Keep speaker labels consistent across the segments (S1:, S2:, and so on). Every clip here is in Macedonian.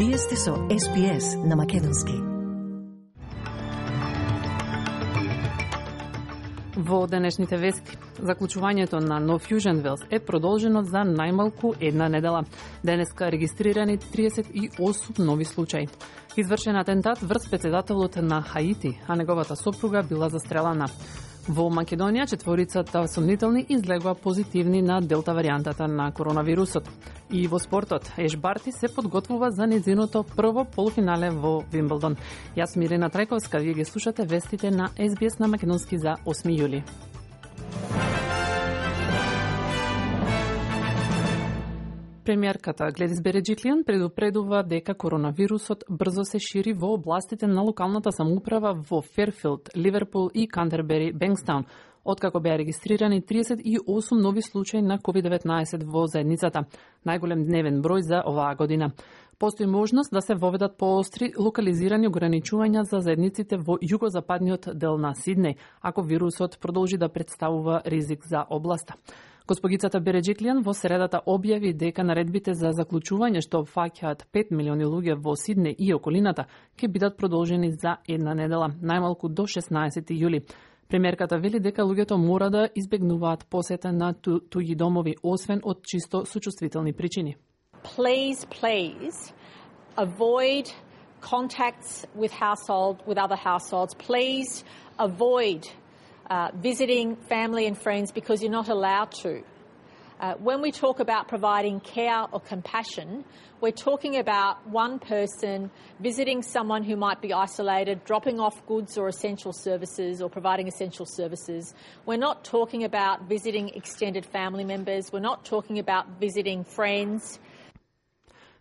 S1: Вие сте со SPS на македонски.
S2: Во денешните вести, заклучувањето на No Fusion Wells е продолжено за најмалку една недела. Денеска регистрирани 38 нови случаи. Извршен атентат врз председателот на Хаити, а неговата сопруга била застрелана. Во Македонија четворицата сомнителни излегува позитивни на делта варијантата на коронавирусот. И во спортот, Еш Барти се подготвува за незиното прво полуфинале во Вимблдон. Јас сум Ирена Трајковска, вие ги слушате вестите на SBS на македонски за 8 јули. Премиерката Гледис Береджиклијан предупредува дека коронавирусот брзо се шири во областите на локалната самоуправа во Ферфилд, Ливерпул и Кантербери, Бенкстаун, откако беа регистрирани 38 нови случаи на COVID-19 во заедницата, најголем дневен број за оваа година. Постои можност да се воведат поостри локализирани ограничувања за заедниците во југозападниот дел на Сиднеј, ако вирусот продолжи да представува ризик за областа. Госпогицата Береджиклијан во средата објави дека наредбите за заклучување што опфаќаат 5 милиони луѓе во Сиднеј и околината ќе бидат продолжени за една недела, најмалку до 16 јули. Премиерката вели дека луѓето мора да избегнуваат посета на туѓи домови, освен од чисто сочувствителни причини.
S3: Please avoid contacts with other households. Please avoid visiting family and friends because you're not allowed to. When we talk about providing care or compassion, we're talking about one person visiting someone who might be isolated, dropping off goods or essential services or providing essential services. We're not talking about visiting extended family members. We're not talking about visiting friends.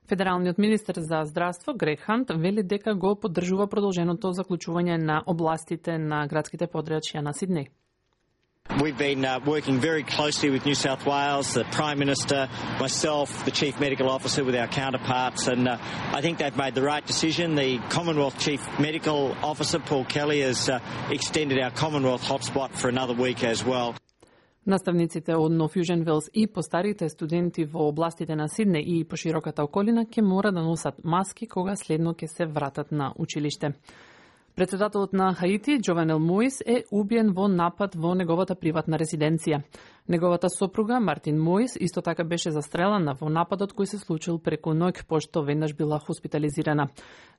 S2: Федералниот министер за здравство Грег Хант вели дека го поддржува продолженото заклучување на областите на градските подрачја на Сиднеј.
S4: We've been working very closely with New South Wales, the Prime Minister, myself, the Chief Medical Officer with our counterparts, and I think they've made the right decision. The Commonwealth Chief Medical Officer, Paul Kelly, has extended our Commonwealth hotspot for another week as well.
S2: Наставниците од No Fusion Wells и постарите студенти во областите на Сиднеј и пошироката околина ќе мора да носат маски кога следно ќе се вратат на училиште. Председателот на Хаити, Джованел Моис, е убиен во напад во неговата приватна резиденција. Неговата сопруга, Мартин Моис, исто така беше застрелана во нападот кој се случил преку ноќ, пошто веднаш била хоспитализирана.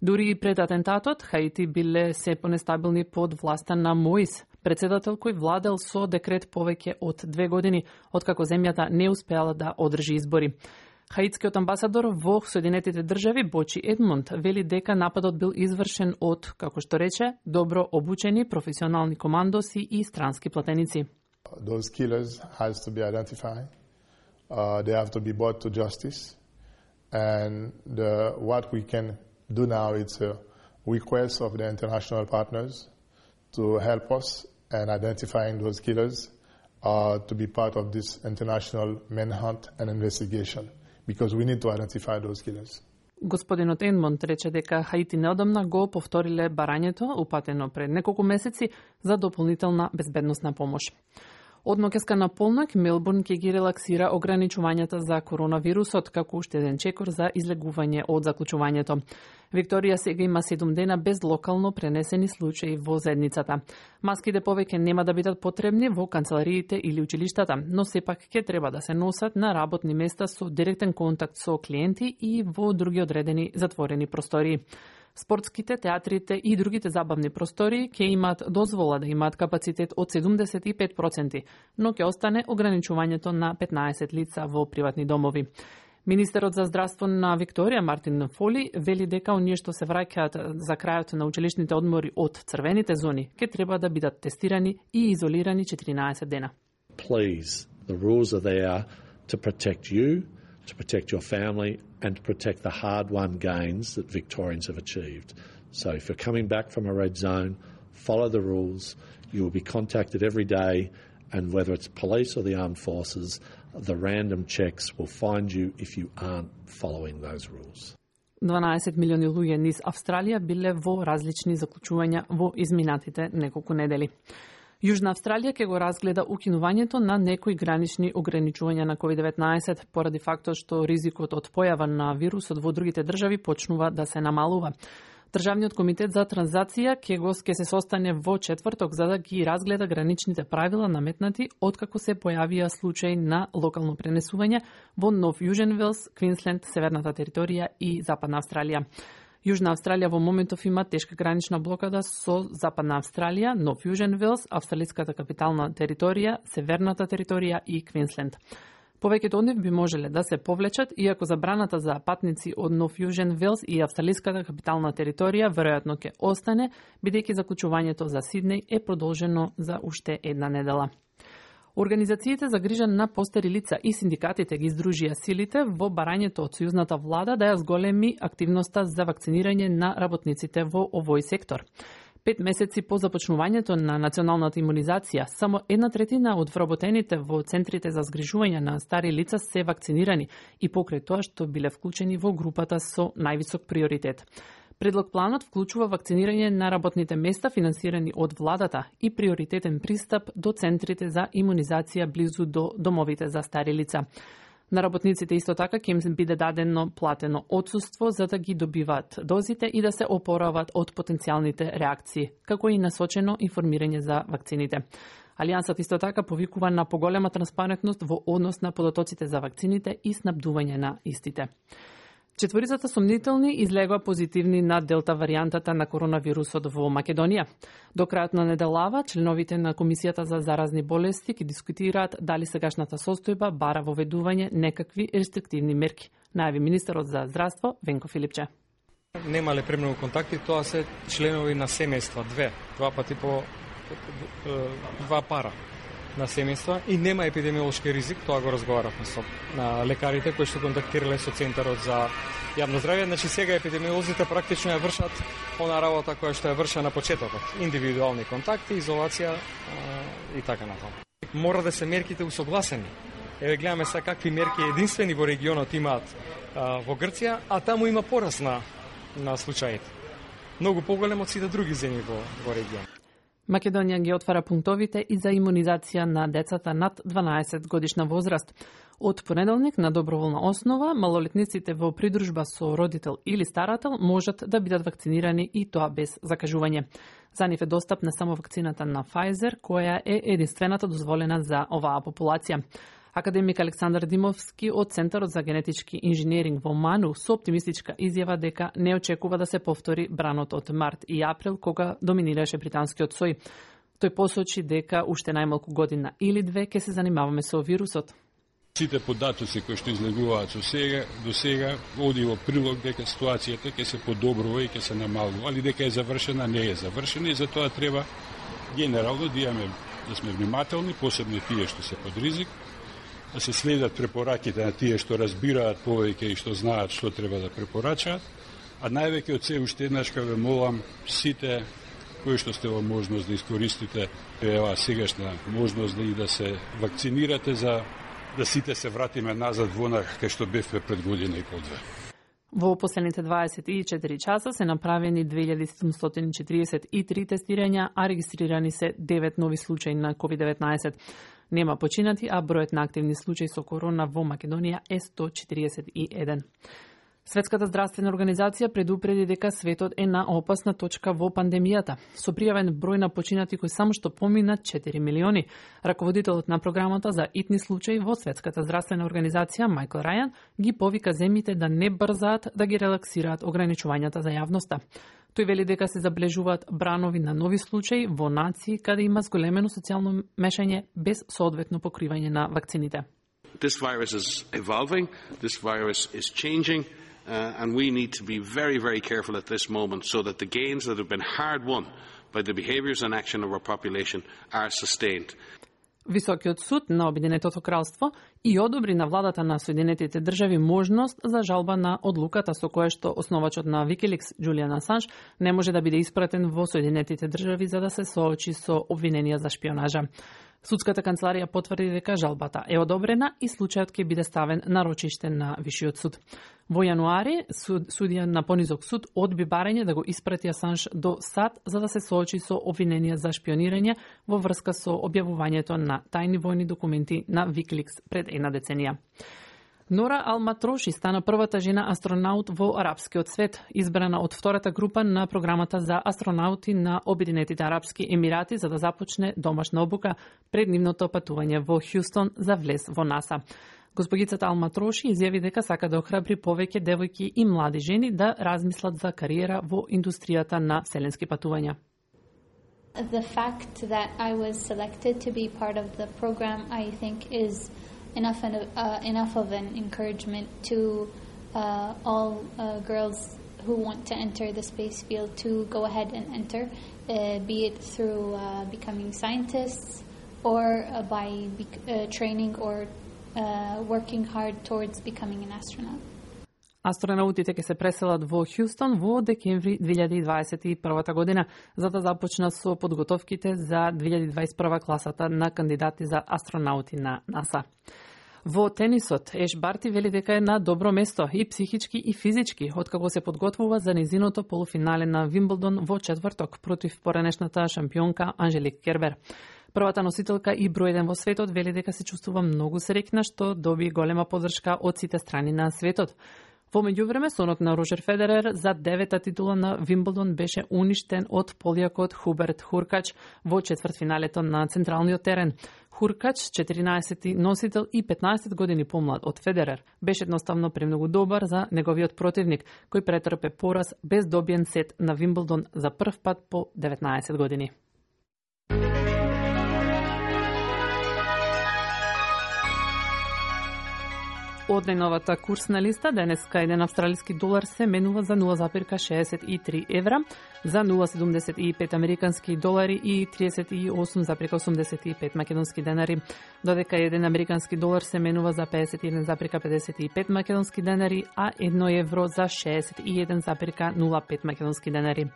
S2: Дури и пред атентатот, Хаити биле се понестабилни под власта на Моис, председател кој владел со декрет повеќе од 2 години, откако земјата не успеала да одржи избори. Хаитскиот амбасадор во Соединетите држави Бочи Едмунд вели дека нападот бил извршен од, како што рече, добро обучени професионални командоси и странски платеници.
S5: Those killers has to be identified. They have to be brought to justice. And what we can do now is a request of the international partners to help us in identifying those killers to be part of this international manhunt and investigation. Because we need to identify those killers.
S2: Господинот Едмонд рече дека Хаити неодамна го повториле барањето упатено пред неколку месеци за дополнителна безбедносна помош. Од ноќеска на полноќ Мелбурн ќе ги релаксира ограничувањата за коронавирусот како уште еден чекор за излегување од заклучувањето. Викторија сега има 7 дена без локално пренесени случаи во заедницата. Маските повеќе нема да бидат потребни во канцелариите или училиштата, но сепак ќе треба да се носат на работни места со директен контакт со клиенти и во други одредени затворени простории. Спортските, театрите и другите забавни простории ќе имаат дозвола да имаат капацитет од 75%, но ќе остане ограничувањето на 15 лица во приватни домови. Министерот за здравство на Викторија, Мартин Фоли, вели дека оние што се враќаат за крајот на училишните одмори од црвените зони ќе треба да бидат тестирани и изолирани 14 дена.
S6: Please, the rules are there to protect you, to protect your family and to protect the hard-won gains that Victorians have achieved. So if you're coming back from a red zone, follow the rules. You will be contacted every day, and whether it's police or the armed forces, the random checks will find you if you aren't following those rules.
S2: 12 милиони луѓе низ Австралија биле во различни заклучувања во изминатите неколку недели. Јужна Австралија ќе го разгледа укинувањето на некои гранични ограничувања на COVID-19 поради фактот што ризикот од појава на вирусот во другите држави почнува да се намалува. Државниот комитет за транзација ќе се состане во четврток за да ги разгледа граничните правила наметнати откако се појавија случаи на локално пренесување во Нов Јужен Велс, Квинсленд, Северната територија и Западна Австралија. Јужна Австралија во моментов има тешка гранична блокада со Западна Австралија, Нов Јужен Велс, Австралиската капитална територија, Северната територија и Квинсленд. Повеќето од нив би можеле да се повлечат, иако забраната за патници од Нов Јужен Велс и Австралиската капитална територија веројатно ќе остане, бидејќи заклучувањето за Сиднеј е продолжено за уште една недела. Организациите за грижа на постари лица и синдикатите ги издружија силите во барањето од сојузната влада да ја зголеми активноста за вакцинирање на работниците во овој сектор. 5 месеци по започнувањето на националната имунизација, само 1/3 од вработените во центрите за згрижување на стари лица се вакцинирани и покрај тоа што биле вклучени во групата со највисок приоритет. Предлог планот вклучува вакцинирање на работните места финансирани од владата и приоритетен пристап до центрите за имунизација близу до домовите за стари лица. На работниците исто така ќе им биде дадено платено отсуство за да ги добиваат дозите и да се опорават од потенцијалните реакции, како и насочено информирање за вакцините. Алијансот исто така повикува на поголема транспарентност во однос на податоците за вакцините и снабдување на истите. Четворицата сомнителни излегоа позитивни на делта варијантата на коронавирусот во Македонија. До крајот на неделава, членовите на Комисијата за заразни болести ќе дискутираат дали сегашната состојба бара воведување некакви рестриктивни мерки, најави министерот за здравство Венко Филипче.
S7: Немале премногу контакти, тоа се членови на семејства, два пати по два пара на семејства и нема епидемиолошки ризик, тоа го разговаравме со на лекарите кои што контактирале со Центарот за јавно здравје. Значи сега епидемиолозите практично ја вршат она работа која што ја врша на почетокот, индивидуални контакти, изолација и така натаму. Мора да се мерките усогласени. Еве гледаме сега какви мерки единствени во регионот имаат во Грција, а таму има пораст на случаите. Многу поголем од сите други земји во регионот.
S2: Македонија ги отвара пунктовите и за имунизација на децата над 12 годишна возраст. Од понеделник на доброволна основа, малолетниците во придружба со родител или старател можат да бидат вакцинирани и тоа без закажување. За нив е достапна само вакцината на Pfizer, која е единствената дозволена за оваа популација. Академик Александар Димовски од Центарот за генетички инженеринг во Ману со оптимистичка изјава дека не очекува да се повтори бранот од март и април кога доминираше британскиот сој. Тој посочи дека уште најмалку година или две ќе се занимаваме со вирусот.
S8: Сите податоци кои што излегуваат до сега оди во прилог дека ситуацијата ќе се подобрува и ќе се намалува, али дека е завршена, не е завршена и затоа треба генерално да сме внимателни, посебно тие што се под ризик, да се следат препораките на тие што разбираат повеќе и што знаат што треба да препорачаат, а највеќе од се уште еднаш ве молам сите кои што сте во можност да искористите еваа сегашна можност да се вакцинирате за да сите се вратиме назад во она кај што бевме пред година и по-две.
S2: Во последните 24 часа се направени 2743 тестирања, а регистрирани се 9 нови случаи на COVID-19. Нема починати, а бројот на активни случаи со корона во Македонија е 141. Светската здравствена организација предупреди дека светот е на опасна точка во пандемијата. Со пријавен број на починати кои само што помина 4 милиони. Раководителот на програмата за итни случаи во Светската здравствена организација Майкл Рајан ги повика земјите да не брзаат да ги релаксираат ограничувањата за јавноста. Тој вели дека се заблежуваат бранови на нови случаи во нации каде има зголемено социјално мешање без соодветно покривање на вакцините.
S9: This virus is evolving, this virus is changing, and we need to be very, very careful at this moment so that the gains that have been hard won by the behaviours and action of our population are sustained.
S2: Високиот суд на Обединетото кралство и одобри на владата на Соединетите држави можност за жалба на одлуката со која што основачот на Wikileaks Џулијан Асанж не може да биде испратен во Соединетите држави за да се соочи со обвиненија за шпионажа. Судската канцеларија потврди дека жалбата е одобрена и случајот ќе биде ставен на рочиште на Вишиот суд. Во јануари, судија на понизок суд одби барање да го испрати Асанж до САД за да се соочи со обвиненија за шпионирање во врска со објавувањето на тајни војни документи на Викликс пред една деценија. Нора Ал-Матроши стана првата жена астронаут во арапскиот свет, избрана од втората група на програмата за астронаути на Обединетите арапски емирати за да започне домашна обука пред нивното патување во Хјустон за влез во НАСА. Госпогицата Ал-Матроши изјави дека сака да охрабри повеќе девојки и млади жени да размислат за кариера во индустријата на вселенски патувања.
S10: The fact that I was selected to be part of the program, I think, is enough of an encouragement to all girls who want to enter the space field to go ahead and enter, be it through becoming scientists or by training or working hard towards becoming an astronaut.
S2: Астронаутите ќе се преселат во Хјустон во декември 2021 година за да започнат со подготовките за 2021 класата на кандидати за астронаути на НАСА. Во тенисот, Еш Барти вели дека е на добро место и психички и физички, откако се подготвува за незиното полуфинале на Вимблдон во четврток против поранешната шампионка Анжелик Кербер. Првата носителка и број 1 во светот вели дека се чувствува многу среќна што доби голема поддршка од сите страни на светот. Во меѓувреме, сонот на Роджер Федерер за 9-та титула на Вимблдон беше уништен од полјакот Хуберт Хуркач во четвртфиналето на централниот терен. Хуркач, 14-ти носител и 15 години помлад од Федерер, беше едноставно премногу добар за неговиот противник, кој претрпе пораз без добиен сет на Вимблдон за прв пат по 19 години. Од најновата курсна листа, денеска еден австралиски долар се менува за 0,63 евра, за 0,75 американски долари и 38,85 македонски денари, додека еден американски долар се менува за 51,55 македонски денари, а 1 евро за 61,05 македонски денари.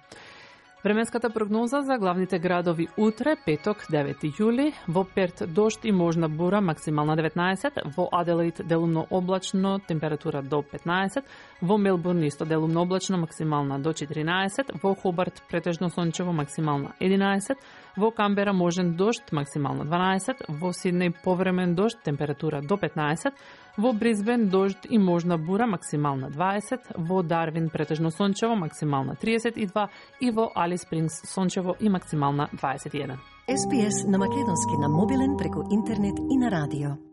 S2: Временската прогноза за главните градови утре, петок, 9 јули, во Перт дожд и можна бура, максимална 19, во Аделаид делумно облачно, температура до 15, во Мелбурн исто делумно облачно, максимална до 14, во Хобарт претежно сончево, максимална 11, во Камбера можен дожд, максимална 12, во Сиднеј повремен дожд, температура до 15, во Бризбен дожд и можна бура, максимална 20, во Дарвин претежно сончево, максимална 32 и во Алис Спрингс сончево и максимална 21.
S1: SPS на македонски на мобилен преку интернет и на радио.